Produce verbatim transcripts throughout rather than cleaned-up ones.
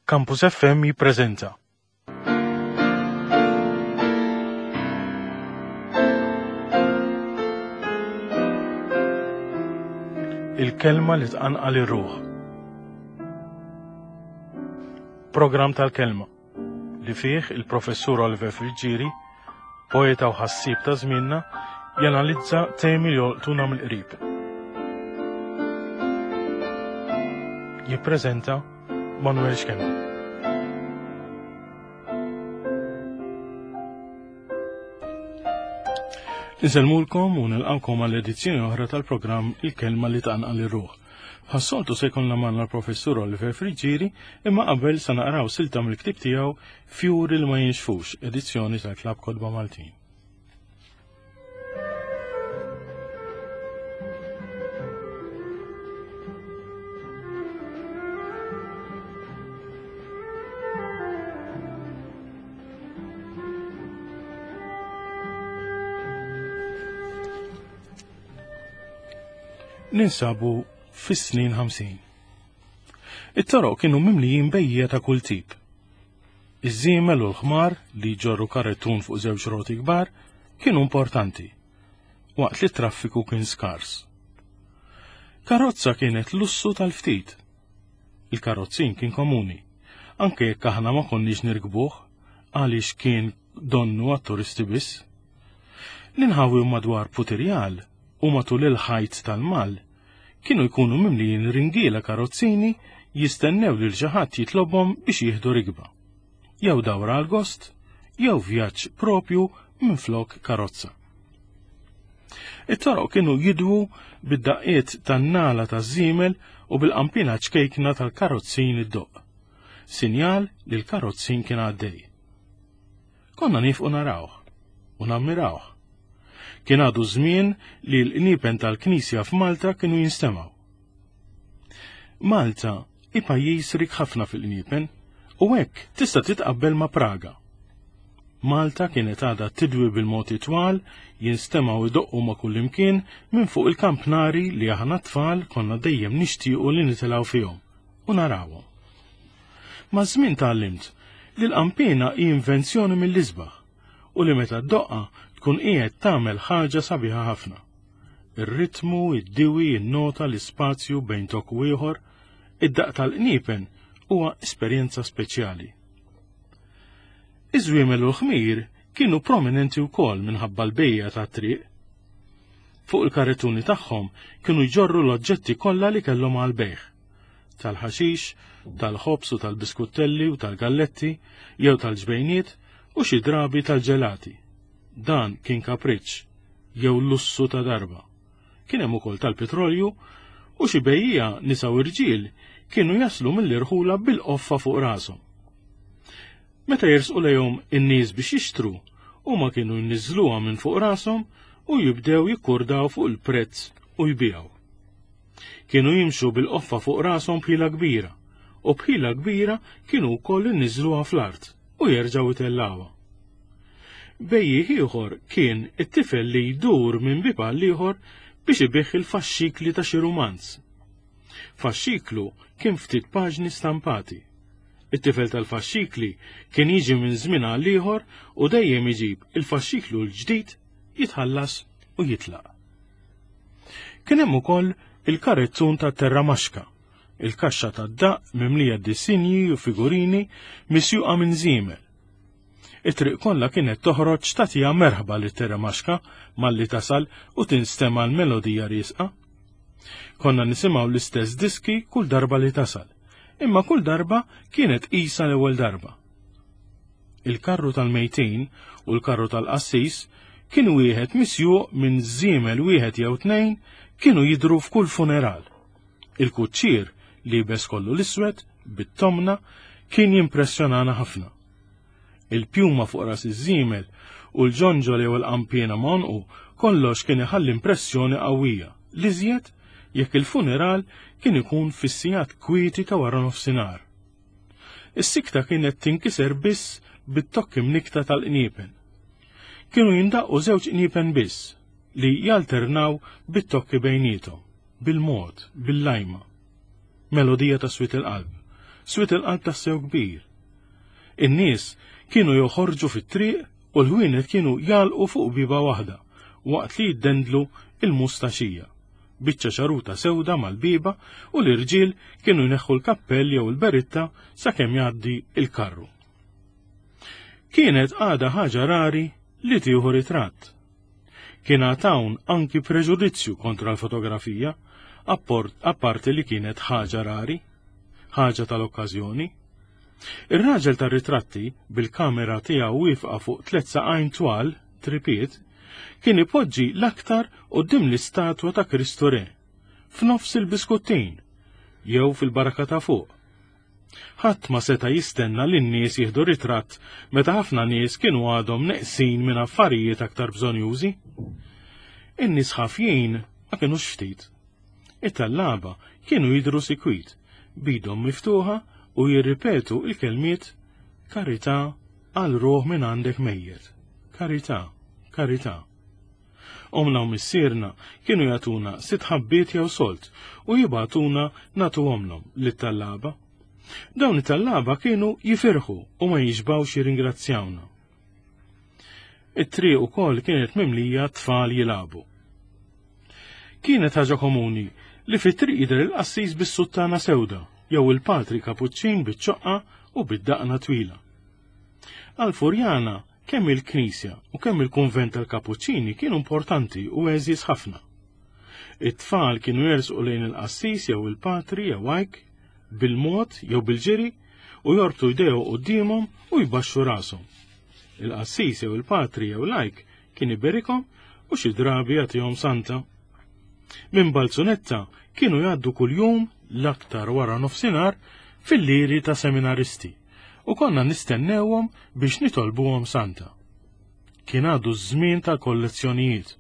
Campus F M jippreżenta Il-kelma li tqanqal ir-ruħ. Programm tal-kelma li fih il-professur Oliver Friggieri, poeta u ħassieb ta' żmienna, janalizza temi li jolqtuna mill-qrib. Jippreżenta Manuel Schembri. Insellmulkom u nilqawkom għall edizzjoni oħra tal-programm Il-Kelma li tqanqal ir-ruħ. Bħas-soltu se jkollna magħna l-professur Oliver Friggieri, imma qabel se naqraw silta mill-ktieb tiegħu Fjuri li ma jinxfux, edizzjoni tal-Klabb Kotba Maltin. Ninsabu fis-snin ħamsin. It-toroq kienu mimlijin bejjiegħa ta' kull tip. Iż-żiemel u l-ħmar li jġorru karrettun fuq żewġ roti kbar kienu importanti, waqt li t-traffiku kien skars. Karozza kienet lussu tal-ftit. Il-karozzin kien komuni, anke jekk aħna ma konniex nirkbuh għaliex kien donnu għat-turisti biss. L-inħawi madwar Putirjal u matul il-ħajt tal-Mall kienu jkunu mimlijin ringiela karozzini jistennew lil xi ħadd jitlobhom biex jieħdu rikba. Jew dawra għal gost, jew vjaġġ propju minflok karozza. It-toroq kienu jidwu bid-daqqiet tan-nala taż-żiemel u bil-qampina ċkejkna tal-karozzin iddoqq. Sinjal li l-karozzin kien għaddej. Konna nifqu narawh u nammirawh. Kien għadu żmien li l-qniepen tal-Knisja f'Malta kienu jinstemgħu. Malta hi pajjiż rik ħafna fil-qniepen u hekk tista' titqabbel ma' Praga. Malta kienet għadha tidwi bil-moti twal, jinstemgħu idoqqu ma' kullimkien minn fuq il-kampnari li aħna tfal konna dejjem nixtiequ li nitilgħu fihom u narawhom. Maż-żmien tgħallimt li l-qampina hi invenzjoni mill-isbaħ u li meta ddoqqa tkun qiegħed tagħmel ħaġa sabiħa ħafna. Ir-ritmu, id-diwi, in-nota, l-ispazju bejn tokk u ieħor, id-daqq tal-qniepen huwa esperjenza speċjali. Iż-żwiemel u l-ħmir kienu prominenti wkoll minħabba l-bejja tat-triq. Fuq il-karrettuni tagħhom kienu jġorru l-oġġetti kollha li kellhom għall-bejgħ. Tal-ħaxix, tal-ħobż u tal-biskuttelli u tal-galletti, jew tal-ġbejniet u xi drabi tal-ġelati. Dan kien kapriċċ jew lussu ta' darba. Kien hemm ukoll tal-petrolju u xi bejjiegħa nisa u rġiel kienu jaslu mill-irħula bil-qoffa fuq rashom. Meta jersqu lejhom in-nies biex jixtru, huma kienu jniżżluha minn fuq rashom u jibdew jikkurdaw fuq il-prezz u jbigħu. Kienu jimxu bil-qoffa fuq rashom b'ħila kbira, u b'ħila kbira kienu wkoll inniżżluha fl-art u jerġgħu jtellgħuha. Bejjiegħ ieħor kien it-tifel li jdur minn bieb għal ieħor biex ibigħ il-faxxikli ta' xi rumanz. Faxxiklu kien ftit paġni stampati. It-tifel tal-faxxikli kien jiġi minn żmien għal ieħor u dejjem iġib il-faxxiklu l-ġdid, jitħallas u jitlaq. Kien hemm ukoll il-karezzun ta' terramaxka, il-kaxxa tad-daqq mimlija disinji u figurini misjuqa minn żiemel. It-triq kollha kienet toħroġ tagħtiha merħba lit terramaxka malli tasal u tinstema' l-melodija riesqa. Konna nisimgħu l-istess diski kull darba li tasal, imma kull darba kienet qisha l-ewwel darba. Il-karru tal-mejtin u l-karru tal-qassis kien wieħed misjuq minn żiemel wieħed jew tnejn kienu jidhru f'kull funeral. Il-kuċċier liebes kollu l-iswed bit-tomna kien jimpressjonana ħafna. Il-pjuma fuq ras iż-żiemel u l-ġonġol jew il-qampiena ma' għonqu kollox kien iħalli impressjoni qawwija, l-iżjed jekk il-funeral kien ikun fis-sigħat kwieti ta' wara nofsinhar. Is-sikta kienet tinkiser biss bit-tokki mnikta tal-qniepen. Kienu jindaqqu żewġ qniepen biss li jalternaw bit-tokki bejniethom, bil-mod, bil-lajma. Melodija ta' swied il-qalb, Swiet il-qalb tassew kbir. In-nies kienu joħorġu fit-triq u l-ħwienet kienu jalqu fuq biba waħda waqt li jiddendlu il-mustaxija. Biċċa ċaruta sewda mal-biba u l-irġiel kienu jneħħu l-kappell jew il-beritta sakemm jgħaddi il-karru. Kienet għada ħaġa rari li tieħu ritratt. Kien hawn anki preġudizzju kontra l-fotografija, apparti li kienet ħaġa rari, ħaġa tal-okkażjoni. Ir-raġel tar-ritratti bil-kamera tiegħu wieqfa fuq tliet saqajn twal, tripiet, kien ipoġġi l-aktar quddiem l-istatwa ta' Kristu Re, f'nofs il-Biskuttin, jew fil-Baraka ta' fuq. Ħadd ma seta' jistenna li n-nies jieħdu ritratt meta ħafna nies kienu għadhom neqsin minn affarijiet aktar bżonjużi. In-nies ħafjin ma kinux ftit. It-tallaba kienu jidhru sikwit, bidhom miftuħa u jirripetu il-kelmiet karità għal ruħ minn għandek mejjet. Karità, karità. Omna u missierna kienu jagħtuna sitt ħabbiet jew solt u jibgħatuna nagħtuhomlhom lit-tallaba. Dawn it-tallaba kienu jifirħu u ma jixbgħux jirringrazzjawna. It-triq ukoll kienet mimlija tfal jilagħbu. Kienet ħaġa komuni li fit-triq jidher il-qassis bis-suttana sewda jew il-patri kapuċċin biċ-ċoqqa u bid-daqna twila. Għal-Furjana kemm il-Knisja u kemm il-Kunvent tal-Kapuċċini kienu importanti u għeżież ħafna. It-tfal kienu jersqu lejn il-qassis jew il-patri jew hajk bil-mod jew bil-ġiri u jorbtu jdejhom quddiemhom u jbaxxu rashom. Il-qassis jew il-patri jew lajk kien iberikhom u xi drabi jagħtihom santa. Minn Balzunetta kienu jgħaddu kuljum l-aktar wara nofsinhar fil-liri ta' seminaristi u konna nistennewhom biex nitolbuhom santa. Kien għadu ż-żmien tal-kollezzjonijiet.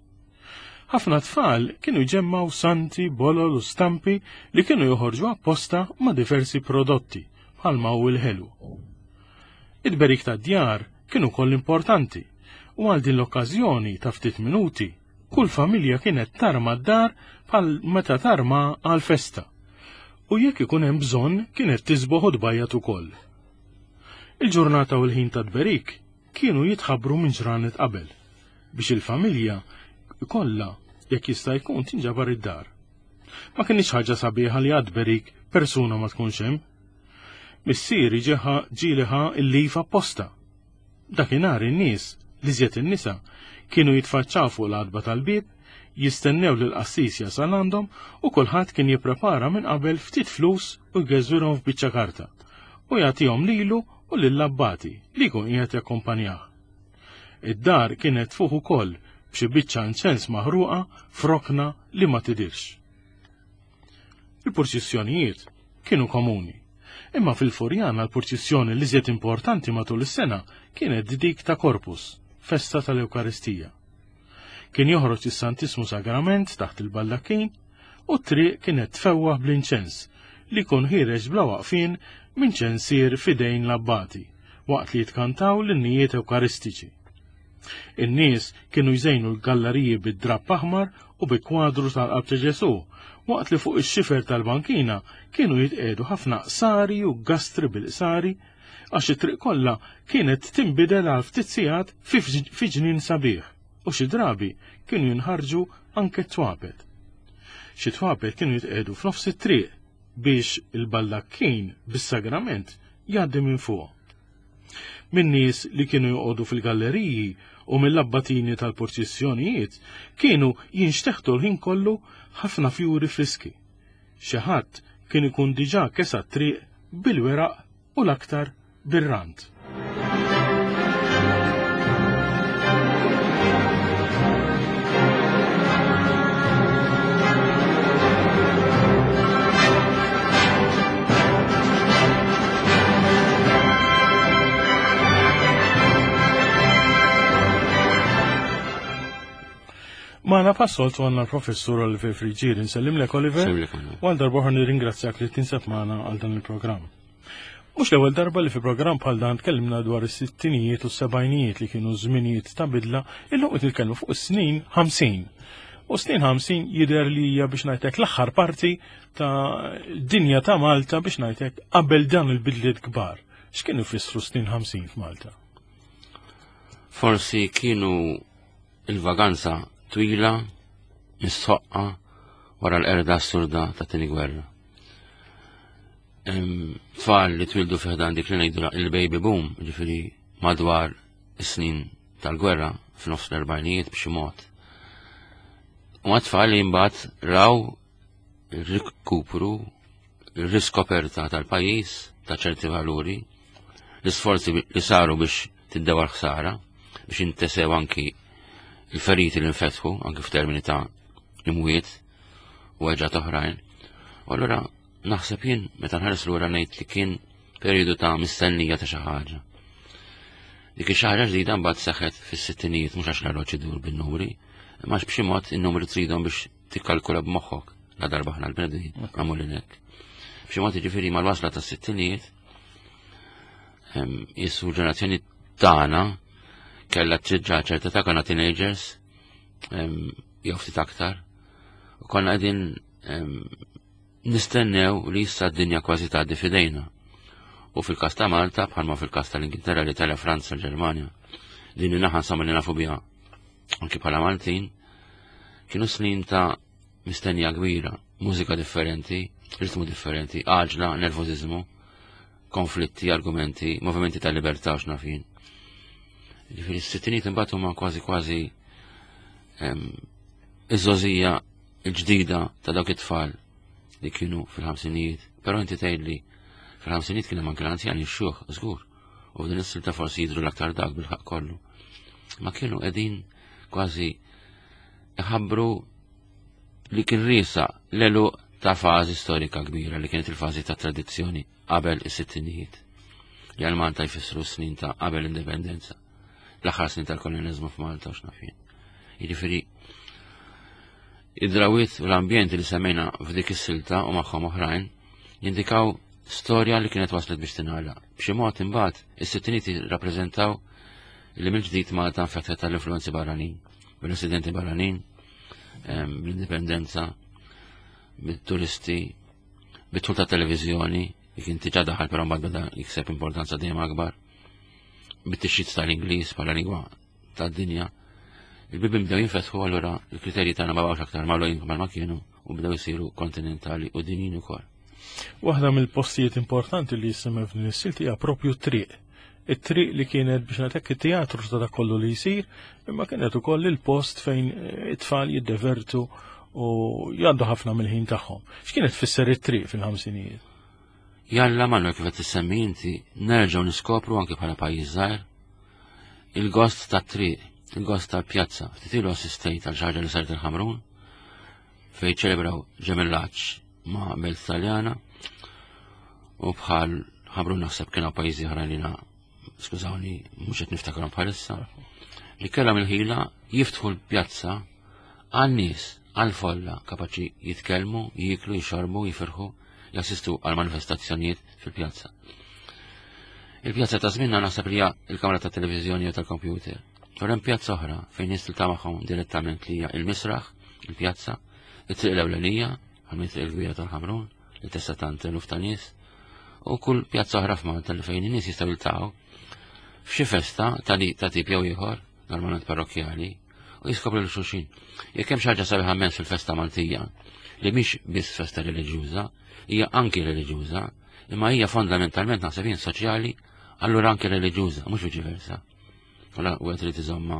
Ħafna tfal kienu jġemmaw santi, bolol u stampi li kienu joħorġu apposta ma' diversi prodotti bħalma hu l-ħelu. Id-berik tad-djar kienu koll importanti u għal din l-okkażjoni ta' ftit minuti kull familja kienet tarma d-dar bħal meta tarma għal festa. U jekk ikun hemm bżonn kienet tisboħ u tbajjat ukoll. Il-ġurnata u l-ħin ta' tberik kienu jitħabbru minn ġranet qabel biex il-familja kollha jekk jista' jkun tinġabar id-dar. Ma kienx ħaġa sabiħa li għad-tberik persuna ma tkunx hemm. Missieri ġeħa ġieliħa il-lif apposta. Dakinhar in-nies, li żjed in-nisa, kienu jitfaċċaw fuq l-għatba tal-bieb, jistennew lil qassis jasal għandhom u kulħadd kien jipprepara minn qabel ftit flus u jgeżwirhom f'biċċa karta u jagħtihom lilu u lill-abbati li jkun qiegħed jakkumpanjah. Id-dar kienet fuq ukoll b'xi biċċa inċens maħruqa f'rokna li ma tidirx. Il-purċissjonijiet kienu komuni, imma fil-Furjana l-purċissjoni li żied importanti matul is-sena kienet dik ta' Corpus, festa tal-Ewkaristija. Kien joħroġ is-Santismu Sagrament taħt il-baldakkin u t-triq kienet tfewwaħ bl-inċens li jkun ħiereġ bla waqfien minn ċensier fidejn l-abbati waqt li jitkantaw l-innijiet ewkaristiċi. In-nies kienu jżejnu l-galleriji bid-drapp aħmar u bi kwadru tal-qalb ta' Ġesù, waqt li fuq ix-xifer tal-bankina kienu jitqiegħdu ħafna qsari u gastri bil-qsari għax it-triq kollha kienet tinbidel għal ftit sigħat fi ġnien sabiħ u xi drabi kienu jinħarġu anke t-twapet. Xi twapet kienu jitqiegħdu f'nofs it-triq biex il-baldakkin bis-sagrament jgħaddi minn fuq. Min nies li kienu joqogħdu fil-galleriji u mill-abbatini tal-purċissjonijiet kienu jinxteħtu l-ħin kollu ħafna fjuri friski. Xi ħadd kien ikun diġà kesa t-triq bil-weraq u l-aktar bir-rant. Magħna passoltu għandna l-professur Oliver Friggieri. Nsellimlek Oliver. U għal darba oħra nirringrazzjak li tinsab magħna għal dan il-programm. Mhux l-ewwel darba li fi programm bħal dan tkellimna dwar is-sittinijiet u s-sebgħinijiet li kienu żminijiet ta' bidla, illum qed nitkellmu fuq is-snin ħamsin. U snin ħamsin jidher li hija, biex ngħidlek, l-aħħar parti ta' dinja ta' Malta, biex ngħidlek, qabel dan il-bidliet kbar. X'kienu jfissru snin ħamsin f'Malta? Forsi kienu il-vaganza twila mistħoqqa wara l-qerda assurda ta' tieni gwerra. Tfal li twildu fi ħdan dik li ngħidu il-baby boom, ġifieri madwar is-snin tal-gwerra f'nofs l-erbgħinijiet b'xi mod. U tfal li mbagħad raw il-rikupru, il-riskoperta tal-pajjiż ta' ċerti valuri, l-isforzi li saru biex tiddewa l-ħsara, biex jintesew anki il-feriti li nfetħu, anki f'termini ta' imwiet u weġgħat oħrajn. U allura naħseb jien, meta nħares lura, ngħid li kien periodu ta' mistennija ta' xi ħaġa. Dik xi ħaġa ġdida mbagħad seħħet fis-sittinijiet, mhux għax l-arloġġ idur bin-numri, imma b'xi mod in-numri tridhom biex tikkalkula b'moħħok la darba aħna l-bnedmin magħmulin hekk. B'xi mod, jiġifieri, mal-wasla tas-sittinijiet jisu ġenerazzjoni tagħna kellha triġġa ċerta ta' konna teenagers jew ftit aktar u konna qegħdin nistennew li issa d-dinja kważi tgħaddi f'idejna. U fil-każ ta' Malta, bħalma fil-każ tal-Ingilterra, l-Italja, Franza, l-Ġermanja, din naħa insomma li nafu biha anki bħala Maltin, kienu snin ta' mistennija kbira, mużika differenti, ritmu differenti, għaġla, nervozizmu, konflitti, argumenti, movimenti ta' libertà u x'naf jien. Ġifieri s-sittinijiet imbagħad huma kważi kważi iż-żgħożija l-ġdida ta' dawk it-tfal li kienu fil-ħamsinijiet. Però inti tgħidli fil-ħamsinijiet kien hemm anke l-anzjani, x-xjuħ, żgur. U f'din is-silta forsi jidhru l-aktar dak bil-ħaq kollu. Ma kienu qegħdin kważi iħabbru li kien riesaq l-għeluq ta' fażi storika kbira li kienet il-fażi ta' tradizzjoni qabel is-sittinijiet. Li għal Malta jfissru snin ta' qabel l-indipendenza. L-aħħar snin tal-kolonizmu f'Malta u x'naf jien. Jiġifieri id-drawiet u l-ambjent li semmejna f'dik is-silta u magħhom oħrajn jindikaw storja li kienet waslet biex tingħalaq. B'xi mod imbagħad is-sittinijiet jirrappreżentaw li mill-ġdid Malta nfetħet tal-influenzi barranin, bil-residenti barranin, bl-indipendenza, bit-turisti, bit-tul ta' televiżjoni, li kien diġà daħal però mbagħad beda jikseb importanza dejjem akbar, bit-tixrid tal-Ingliż bħala lingwa tad-dinja. Il-bibien bdew jinfetħu, allura il-kriterji tagħna ma baqgħux aktar magħluqin bħal ma kienu u bdew isiru kontinentali u dinjin ukoll. Waħda mill-postijiet importanti li jissemmew f'din is-silta hija propju t-triq. It-triq li kienet, biex ngħidlek, it-teatru ta' dak kollu li jsir, imma kienet ukoll il-post fejn it-tfal jiddevertu u jgħaddu ħafna mill-ħin tagħhom. X'kienet tfisser it-triq fil-ħamsinijiet? Jalla, Manuel, kif qed tissemmi inti, nerġgħu niskopru anke bħala pajjiż żgħir il-gost tat-triq, il-gost tal-pjazza. Ftit ilu assistejt għal xi ħaġa li saret il-Ħamrun fejn ċelebraw ġemellaġġ ma' belt Taljana u bħal Ħamrun naħseb kienu pajjiżi oħrajn li na, skużawni, mhux qed niftakarhom bħalissa, li kellhom il-ħila jiftħu l-pjazza għan-nies, għal-folla, kapaċi jitkellmu, jieklu, jixorbu, jifirħu, jassistu għal manifestazzjonijiet fil-pjazza. Il-pjazza ta' żminna naħseb li hija il-kamra ta' televiżjoni u tal-kompjuter. U hemm pjazza oħra fejn nies tiltaqa' magħhom direttament li hija il-misraħ, il-pjazza, it-triq l-ewlenija, għal triq il-kbira tal-Ħamrun, li tista' tant eluf ta' nies, u kull pjazza oħra f'Malta li fejn in-nies jistgħu jiltaqgħu f'xi festa ta' li ta' tip jew ieħor, normalment parrokkjali, u jiskopru lil xulxin. Jekk hemm xi ħaġa sabiħa immens fil-festa Maltija, li mhix biss festa reliġjuża, hija anki reliġjuża, imma hija fondamentalment, naħseb jien, soċjali, allura anki reliġjuża, mhux viċi versa. Allura u irid iżomma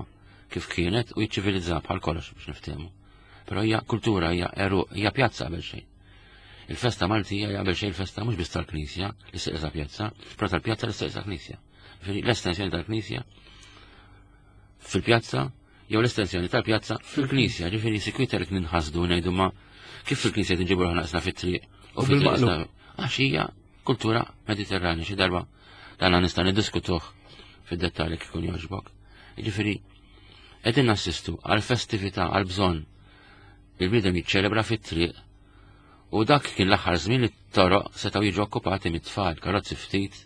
kif kienet u jiċċivilizza bħal kollox biex niftehmu. Però hija kultura, hija eru, hija pjazza qabel xejn. Il-festa Maltija hija qabel xejn il-festa mhux biss tal-Knisja li seqsa pjazza, però tal-pjazza li seqsa Knisja. Ġifieri l-estensjoni tal-Knisja fil-pjazza jew l-estensjoni tal-pjazza fil-Knisja, ġifieri sikwita li ninħasdu ngħidu ma kif fil-Knisja tinġibu ruħna fit-triq u bil-maqlub. Għax hija kultura Mediterranja, xi darba dan nista' niddiskutuh fid-dettalji kif ikun jogħġbok. Ġifieri qegħdin nassistu għal festività, għal bżonn il-bniedem jiċċelebra fit-triq u dak kien l-aħħar żmien li t-toroq setgħu jiġu okkupati mit-tfal, karozzi ftit,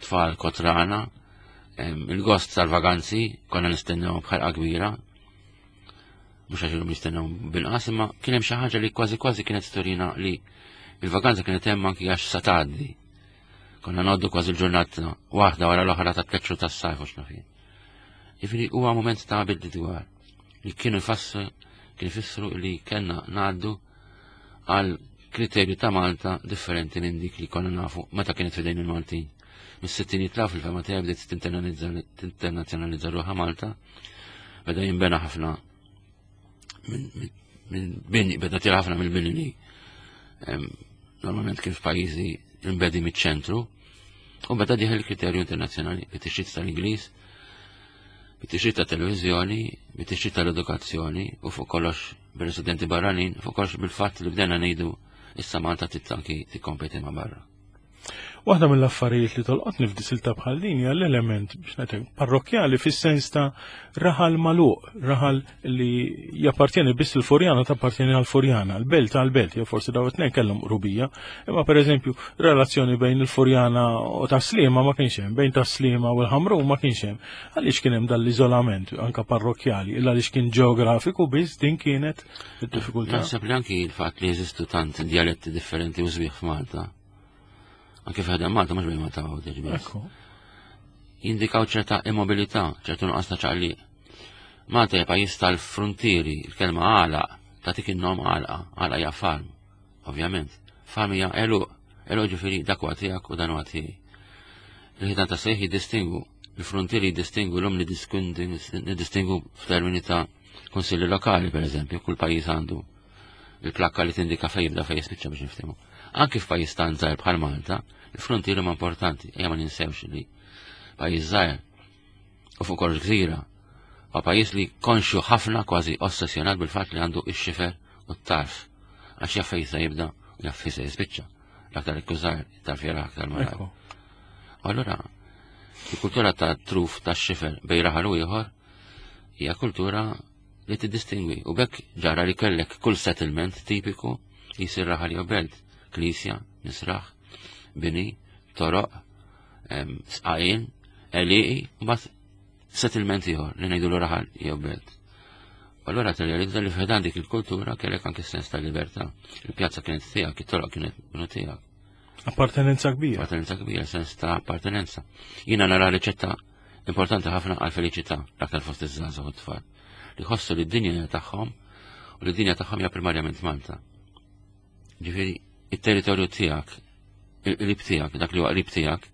tfal kotrana, il-gost tal-vaganzi konna nistennew bħalqa kbira. Mhux għax illum jistennew binqas, imma kien hemm xi ħaġa li kważi kważi kienet turina li il-vakanza kienet hemm anki għax sa tgħaddi. Konna ngħoddu kważi l-ġurnata waħda wara l-oħra ta' tliet xhur tas-sajf u x'naf jien. Jiġifieri huwa mument ta' bidli dwar li kienu jfassu kien ifissru li kellna ngħaddu għal kriterju ta' Malta differenti minn dik li konna nafu meta kienet fidejn il-Maltin. Mis-sittinijiet law fil-fema tiegħi bdiet tinternazzjonalizza ruħha Malta, beda jinbena ħafna minn bini, beda tira ħafna mill-bini li normalment kien f'pajjiżi imbedi miċ-ċentru, u beda dieħel il-kriterju internazzjonali bit-tixrid tal-Ingliż, bit-tixrid ta' televiżjoni, bit-tixrid tal-edukazzjoni u fuq kollox bir-residenti barranin, fuq kollox bil-fatt li bdejna ngħidu issa Malta trid anki tikkompeti ma' barra. Waħda mill-affarijiet li tolqotni f'disilta bħal din hija l-element biex ngħidlek parrokkjali fis-sens ta' raħal magħluq, raħal li jappartjeni biss il-Furjana tappartjeni għall-Furjana, l-belt għall-belt, jew forsi daw it-tnejn kellhom qrubija, imma pereżempju relazzjoni bejn il-Furjana u Tas-Sliema ma kienx hemm, bejn Tas-Sliema u l-Ħamrun ma kienx hemm. Għaliex kien hemm dal-iżolament anka parrokkjali, illa għaliex kien ġeografiku biss din kienet id-diffikultà. Naħseb li anki l-fatt li jeżistu tant dialetti differenti u sbieħ f'Malta. Anke f'ħadem Malta mhux bejn Malta u Għawdex biss. Ekku. Jindikaw ċerta immobilità, ċertu nuqqas ta' ċaqliq. Malta hija pajjiż tal-frontieri, il-kelma għalaq, tagħtik in-nom għalqa, għalqa hija farm, ovvjament. Farm hija għeluq, għeluq ġifieri dak huwa tiegħek u dan huwa tiegħi. Il-ħitan ta' sejħ jiddistingu, il-frontieri jiddistingu l-lum niddistingu f'termini ta' konsilli lokali, per eżempju, kull pajjiż għandu il-plakka li tindika fejn jibda fejn jispiċċa biex niftehmu. Anki f'pajjiż tant żgħir bħal Malta, il-frontieri huma importanti, ejja ma ninsewx li pajjiż żgħir u fuq kollox gżira, huwa pajjiż li konxju ħafna kważi ossessjonat bil-fatt li għandu x-xifer u t-tarf, għax jaf fejn se jibda u jaf fejn se jispiċċa. L-aktar ikku żgħir, it-tarf jara aktar malajr. Ekku. U allura, il-kultura ta' truf ta' xifer bejn raħal u ieħor hija kultura li tiddistingwi u bekk ġara li kellek kull settlement tipiku jisir raħal jew belt, knisja, misraħ, bini, toroq, em, sqajin, għelieqi, u mbagħad settlement ieħor li ngħidu raħal jew belt. U allura tirrealizza li f'ħedan dik il-kultura kellek anke sens ta' libertà. Il-pjazza kienet tiegħek, it-toroq kienet kienu tiegħek. Appartenenza kbira. Appartenenza kbira, sens ta' appartenenza. Jiena nara riċetta importanti ħafna għal felicità l-aktar fost iż-żgħażagħ u t-tfal. Li jħossu li d-dinja tagħhom u li d-dinja tagħhom hija primarjament Malta. Ġifieri, it-territorju tiegħek, il-qrib tiegħek, dak li huwa qrib tiegħek,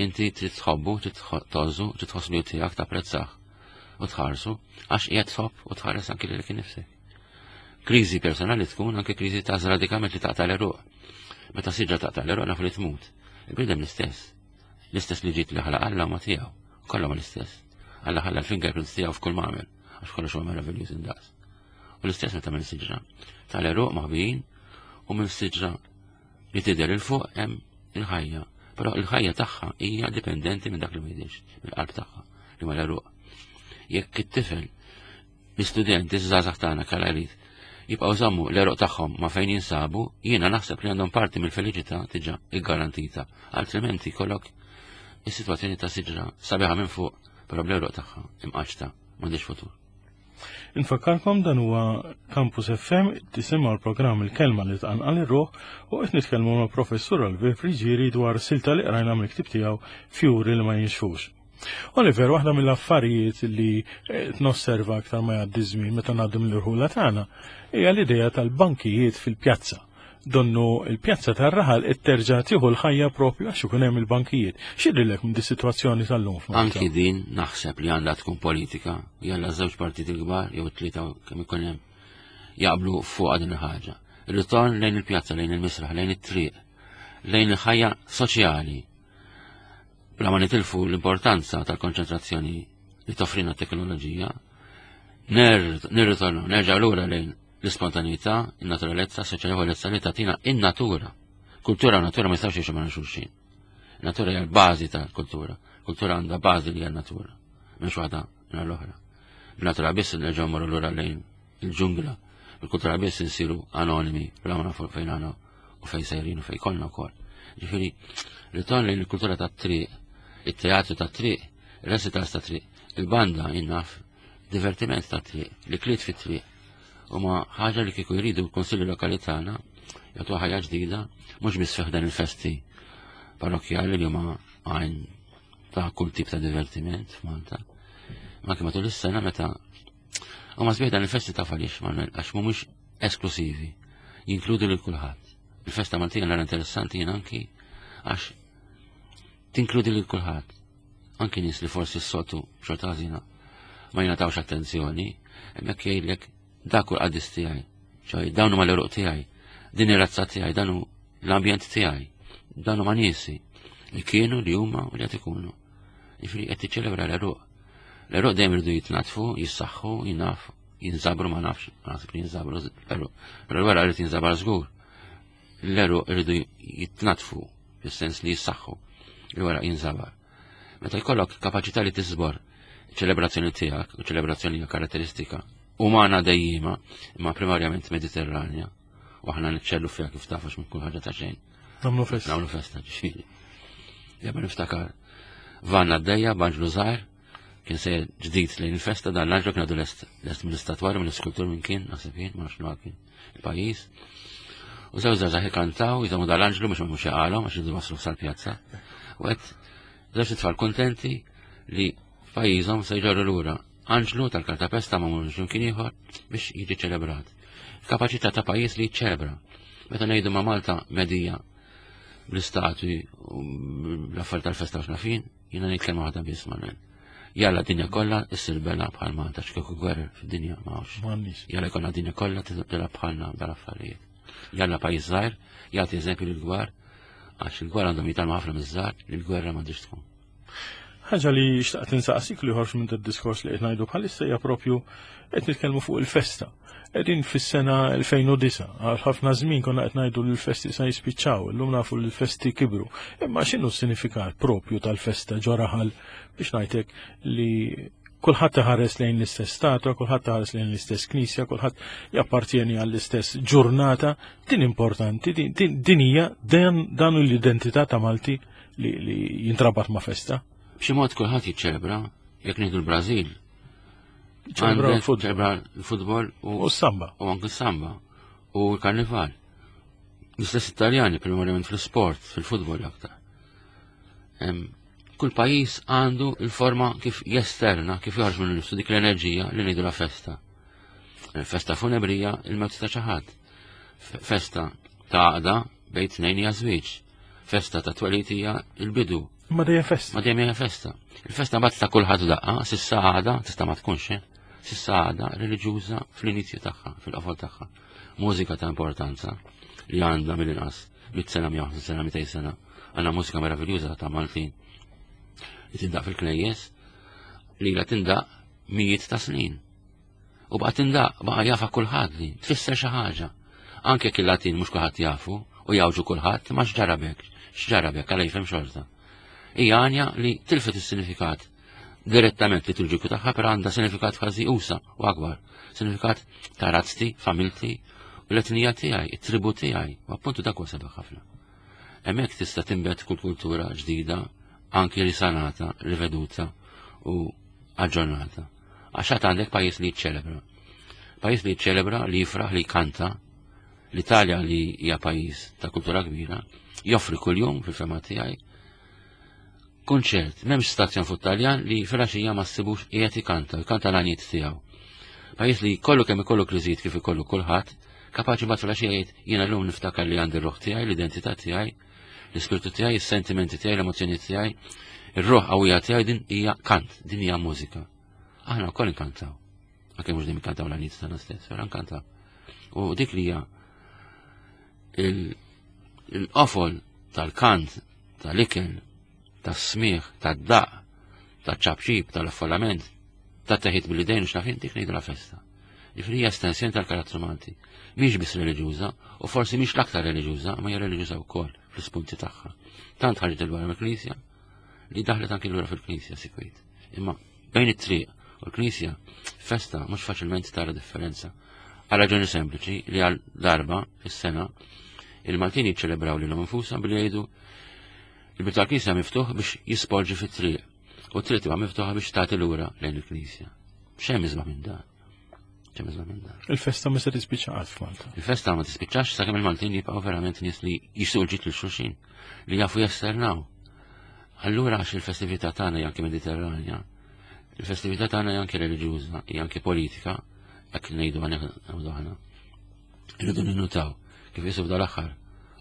inti trid tħobbu, trid tgħożżu, trid tħoss li tiegħek tapprezzah u tħarsu għax qiegħed tħobb u tħares anki lilek innifsek. Kriżi personali tkun anke kriżi ta' radikament li taqta' l-għeruq. Meta siġra taqta' l-għeruq nafu li tmut. Il-bniedem l-istess. L-istess li ġiet li ħalaq Alla ma tiegħu. Kollha ma l-istess. Alla ħalla l-fingerprints tiegħu f'kull ma għamel, għax kollox huwa meraviljuż indaqs. U l-istess meta minn siġra. Tal-għeruq maħbijin u minn siġra li tidher 'il fuq hemm il-ħajja. Però il-ħajja tagħha hija dipendenti minn dak li ma jidhirx, mill-qalb tagħha li ma l-għeruq. Jekk it-tifel, l-istudenti, iż-żgħażagħ tagħna kalarit, jibqgħu żammu l-għeruq tagħhom ma fejn jinsabu, jiena naħseb li għandhom parti mill-feliċità diġà iggarantita. Altrimenti kollok is-sitwazzjoni ta' siġra sabiħa minn fuq, però bl-għeruq tagħha imqaċta m'għandix futur. Infakkarkom dan huwa Campus F M, tisimgħu l-programm Il-Kelma li tqanqal ir-ruħ u qed nitkellmu ma' Professur Oliver Friggieri dwar silta li qrajna mill-ktieb tiegħu Fjuri li ma jinxfux. Oliver, waħda mill-affarijiet li, eh, nosserva aktar ma jgħaddi żmien meta ngħaddu mill-irħula tagħna hija l-idea tal-bankijiet fil-pjazza. Donnu il-pjazza tar-raħal itterġa' tieħu l-ħajja propju għax ikun hemm il-bankijiet. X'jidhirlek minn dis-sitwazzjoni tal-lum f'Malta? Anki din naħseb li għandha tkun politika, jalla żewġ partiti kbar jew tlieta kemm ikun hemm jaqblu fuq din il-ħaġa. Ir-ritorn lejn il-pjazza, lejn il-misraħ, lejn it-triq, lejn il-ħajja soċjali. Bla ma nitilfu l-importanza tal-konċentrazzjoni li toffrina t-teknoloġija, ner-, nirritornu, nerġgħu lura lejn l-ispontaneità, in-naturalezza, soċjevolezza li tagħtina in-natura. Kultura u natura ma jistgħux jgħixu ma' xulxin. Natura hija l-bażi tal-kultura. Kultura għandha bażi li hija n-natura, mhux waħda minn l-oħra. Bil-natura biss nerġgħu mmorru lura lejn il-ġungla. Bil-kultura biss insiru anonimi, bla ma nafu fejn għandna u fejn sejrin u fejn konna wkoll. Ġifieri, ritorn lejn il-kultura tat-triq, it-teatru tat-triq, il-recitals tat-triq, il-banda jinnaf Divertiment ta' triq, l-ikliet fit-triq. Huma ħaġa li kieku jridu l-Kunsilli Lokali tagħna jagħtu ħajja ġdida, mhux biss fih dan il-festi parrokjali li huma għajn ta' kull tip ta' divertiment f'Malta. Ma anke matul is-sena meta huma sbieħ dan il-festi ta' għaliex Manuel, għax mhumiex esklusivi, jinkludu lil kulħadd. Il-festa Maltija nara interessanti jien anki għax tinkludi lil kulħadd. Anki nies li forsi s-soltu xorta ħażina ma jingħatawx attenzjoni, hemmhekk jgħidlek dak hu l-qaddis tiegħi, ċoj dawn huma l-għeruq tiegħi, din ir-razza tiegħi, dan hu l-ambjent tiegħi, dan huma niesi li kienu li huma u li qed ikunu. Jiġifieri qed tiċċelebra l-għeruq. L-għeruq dejjem iridu jitnatfu, jissaħħu, jinafu, jinżabru ma nafx, ma naħseb li jinżabru l-għeruq. Però l-wara irid jinżabar żgur. L-għeruq iridu jitnatfu, fis-sens li jissaħħu, il-wara jinżabar. Meta jkollok kapaċità li tiżbor ċelebrazzjoni tiegħek, u ċelebrazzjoni hija karatteristika umana dejjima, imma primarjament mediterranja, u aħna niċċellu fiha kif taf għax minn kull ħaġa ta' xejn. Nagħmlu festa. Nagħmlu festa, ġifieri. Jabba niftakar vanna għaddejja, b'anġlu żgħir, kien se ġdid lejn il-festa, dan l-anġlu kien għadu lest, lest mill-istatwari, mill-iskultur minn kien, naħseb jien, ma nafx li kien il-pajjiż. U żewġ żgħażagħ ikantaw, jżommu dal-anġlu biex ma jmux jaqalhom għax iridu waslu sal-pjazza. U qed żewġ tfal kontenti li f'pajjiżhom se jġorru lura anġlu tal-kartapesta ma mhux imkien ieħor biex jiġi ċelebrat. Kapaċità ta' pajjiż li jiċċelebra. Meta ngħidu ma' Malta medija bl-istatwi u bl-affarijiet tal-festa u x'nafin, jiena ngħid kelma waħda biss Manuel. Jalla dinja kollha issir bela bħal Malta x'kieku gwerer fid-dinja ma hawnx. M'għandniex. Jalla jkollna dinja kollha tilgħab bħalna dal-affarijiet. Jalla pajjiż żgħir jagħti eżempju lill-kbar għax il-kbar għandhom jitgħallmu ħafna miż-żgħar li l-gwerra m'għandix tkun. Ħaġa li xtaqt insaqsik li ħorġ minn diskors li qed ngħidu bħalissa hija propju qed nitkellmu fuq il-festa. Qegħdin fis-sena elfejn u disa', għal ħafna żmien konna qed ngħidu li l-festi sa jispiċċaw, illum nafu li l-festi kibru. Imma x'inhu s-sinifikat propju tal-festa ġo raħal biex ngħidlek li kulħadd iħares lejn l-istess statwa, kulħadd iħares lejn l-istess knisja, kulħadd jappartjeni għall-istess ġurnata, din importanti, din, din, din hija dan, dan hu l-identità ta' Malti li, li jintrabat ma' festa. B'xi mod kulħadd jiċċelebra, jekk nieħdu l-Brażil. Ċelebra Għandek l-futbol. ċelebra l-futbol u U s-samba. U anke s-samba u l-karnival. L-istess Italjani primarjament fl-sport, fil-futbol aktar. Em, kull pajjiż għandu il-forma kif jesterna, kif joħroġ minn nifsu dik l-enerġija li ngħidu la festa. Festa funebrija il-mewt ta' xi ħadd. F-, festa ta' għaqda bejn tnejn hija żwieġ. Festa ta' twelid hija il-bidu. Ma dejjem festa. Ma dejjem hija festa. Il-festa mbagħad ta' kulħadd daqqa, s'issa għada, tista' ma tkunx, eh? S'issa għada reliġjuża fl-inizju tagħha, fil-qofol tagħha. Mużika ta' importanza li għandha mill-inqas mitt sena, mija u sena, mitejn sena. Għandna mużika meraviljuża ta' Maltin li tindaq fil-knejjes li la tindaq mijiet ta' snin. U baqa' tindaq, baqa' jafa kulħadd li tfisser xi ħaġa. Anke jekk il-Latin mhux kulħadd jafu u jawġu kulħadd, ma x'ġarabek, x'ġarabek għal jifhem xorta. Hija għanja li tilfet is-sinifikat direttament liturġiku tagħha, però għandha sinifikat kważi usa u akbar. Sinifikat ta' razzti, familti u l-etnija tiegħi, it-tribu tiegħi, u appuntu dak huwa sabiħ ħafna. Hemmhekk tista' tinbet kull kultura ġdida, anki risanata, riveduta u aġġornata. Għax għad għandek pajjiż li jiċċelebra. Pajjiż li jiċċelebra, li jifraħ, li jkanta. L-Italja li hija pajjiż ta' kultura kbira, joffri kuljum fil-fema tiegħi kunċert, m'hemmx stazzjon fuq Taljan li filgħaxija ma ssibux qiegħed ikanta, jkanta l-għanijiet tiegħu. Pajjiż li kollu kemm ikollu kriżijiet kif ikollu kulħadd, kapaċi mbagħad filgħaxija jgħid jiena llum niftakar li għandi r-ruħ tiegħi, l-identità tiegħi, l-ispirtu tiegħi, is-sentimenti tiegħi, l-emozzjoni tiegħi, ir-ruħ qawwija tiegħi, din hija kant, din hija mużika. Aħna wkoll inkantaw. Anke mhux dejjem inkantaw l-għanijiet tagħna stess, però nkantaw. U dik li hija il-, il-qofol tal-kant, tal-ikel, tas-smigħ, tad-daq, taċ-ċapċip, tal-affollament, tat-teħid bil-idejn u x'nafin, dik ngħidu la festa. Ġifieri hija estensjoni tal-karattru Malti. Mhix biss reliġjuża, u forsi mhix l-aktar reliġjuża, ma hija reliġjuża wkoll fl-ispunti tagħha. Tant ħarġet il-barra mill-Knisja li daħlet anki lura fil-Knisja sikwit. Imma bejn it-triq u l-Knisja, festa mhux faċilment tara differenza. Għal raġuni sempliċi li għal darba fis-sena il-Maltin jiċċelebraw lilhom infushom billi jgħidu il-bieb tal-Knisja miftuħ biex jisporġi fit-triq u t-triq tibqa' miftuħa biex tagħti lura lejn il-Knisja. X'hemm isbaħ minn dan? X'hemm isbaħ minn dan? Il-festa ma se tispiċċa qatt f'Malta. Il-festa ma tispiċċax sakemm il-Maltin jibqgħu verament nies li jixtiequ l-ġid lil xulxin, li jafu jesternaw. Allura għax il-festività tagħna hija anke Mediterranja, il-festività tagħna hija anke reliġjuża, hija anke politika, hekk ngħidu ngħidu aħna. Irridu ninnutaw kif jisib dal-aħħar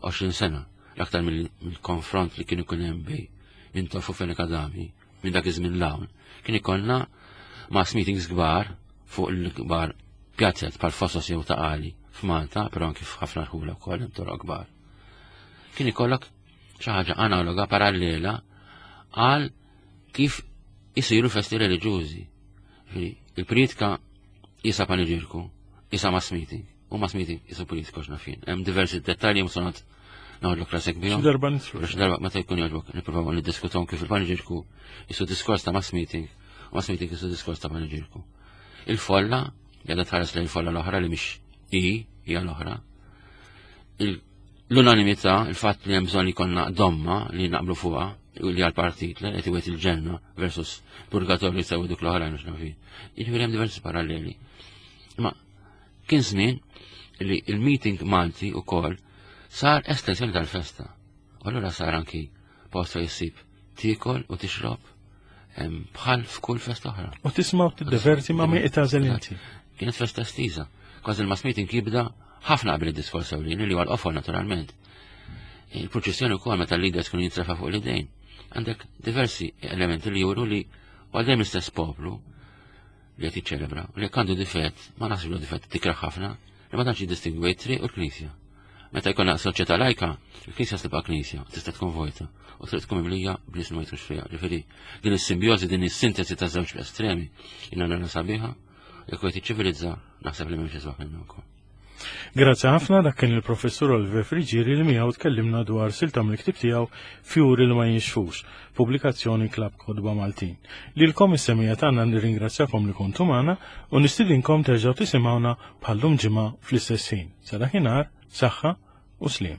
għoxrin sena l-aktar mill-konfront li kien ikun hemm bejn Mintoff u Fenech Adami minn dak iż-żmien l-hawn, kien ikollna mass meetings kbar fuq il-kbar pjazzet bħal Fosos jew Ta' Qali f'Malta, però anki f'ħafna rħula wkoll hemm toroq kbar. Kien ikollok xi ħaġa analoga parallela għal kif isiru festi reliġjużi. Il-pritka jisa paniġirku, jisa mass meeting, u mass meeting jisa politika x'nafin. Hemm diversi dettalji musonat naħodlok rasek bihom. Xi darba nidħlu. Xi darba meta jkun jogħġbok nippruvaw niddiskutom kif il-paniġirku jisu diskors ta' mass meeting, u mass meeting jisu diskors ta' paniġirku. Il-folla, jgħadha tħares lejn il-folla l-oħra li mhix i, hija l-oħra. L-unanimità, il-fatt li hemm bżonn li jkollna domma li naqblu fuqha, li għal-partit li qed iwet il-ġenna versus purgatorju sew dik l-oħrajn mhux nafin. Jiġifieri hemm diversi paralleli. Imma kien żmien li il-meeting Malti ukoll sar estensjoni tal-festa. U allura sar anki post fejn issib tiekol u tixrob bħal f'kull festa oħra. U tisma' u tiddeverti ma' min itgħażel inti. Kienet festa estiża. Kważi il-mass meeting jibda ħafna qabel id-diskors ewlieni li huwa l-qofol naturalment. Il-proċessjoni wkoll meta l-leaders kienu jintrefa' fuq l-idejn. Għandek diversi elementi li juru li għal dejjem l-istess poplu li qed jiċċelebra u li jekk għandu difett, ma naħsibx li difett tikraħ ħafna, li ma tantx jiddistingwi t-triq u l-knisja. Meta jkollna soċjetà lajka, il-knisja tibqa' knisja, tista' tkun vojta u trid tkun mimlija b'nies li ma jitrux fiha. Ġifieri din is-simbjożi, din is-sintesi ta' żewġ estremi, jiena nara sabiħa, jekk qed jiċċivilizza naħseb li m'hemmx isbaħ minnha wkoll. Grazzi ħafna, dak kien il-professur Oliver Friggieri li miegħu tkellimna dwar silta mill-ktieb tiegħu Fjuri li ma jinxfux, pubblikazzjoni Klabb Kotba Maltin. Lilkom is-semmiegħa tagħna nirringrazzjakom li kontu magħna u nistidinkom terġgħu tisimgħuna bħallum ġimgħa fl-istess ħin. Sa dakinhar, saħħa u sliem.